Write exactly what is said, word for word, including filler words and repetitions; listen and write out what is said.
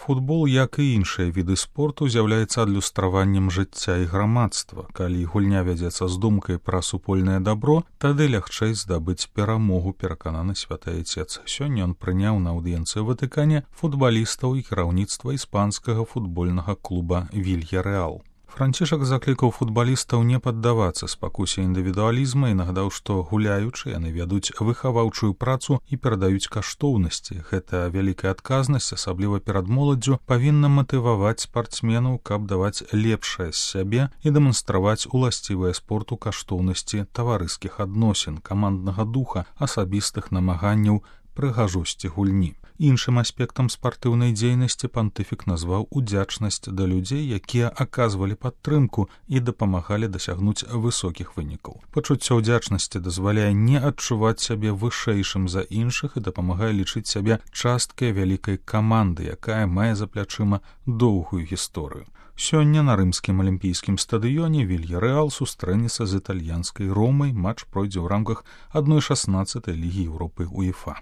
Футбол, як і іншыя віды спорту, з'яўляецца адлюстраваннем жыцця і грамадства. Калі гульня вядзецца з думкай пра супольнае дабро, тады лягчэй здабыць перамогу, перакананы святы айцец. Сёння ён прыняў на аўдыенцыі ў Ватыкане футбалістаў і кіраўніцтва іспанскага футбольнага клуба «Вільярэал». Францішак заклікаў футбалістаў не паддавацца спакусе індывідуалізма і нагадаў, што гуляючы яны вядуць выхаваўчую працу і перадаюць каштоўнасці. Гэта вялікая адказнасць, асабліва перад моладдзю, павінна матываваць спартсменаў, каб даваць лепшае з сябе і дэманстраваць уласцівыя спорту каштоўнасці таварыскіх адносін, каманднага духа, асабістых намаганняў, прыгажосці гульні. Іншым аспектам спартыўнай дзейнасці пантыфік назваў удзячнасць да людзей, якія аказвалі падтрымку і дапамагалі дасягнуць высокіх вынікаў. Пачуццё ўдзячнасці дазваляе не адчуваць сябе вышэйшым за іншых і дапамагае лічыць сябе часткай вялікай каманды, якая мае за плячыма доўгую гісторыю. Сёння на рымскім алімпійскім стадыёне «Вільярэал» сустрэнецца з італьянскай «Ромай». Матч пройдзе ў рамках адной шаснаццатай лігі Еўропы УЕФА.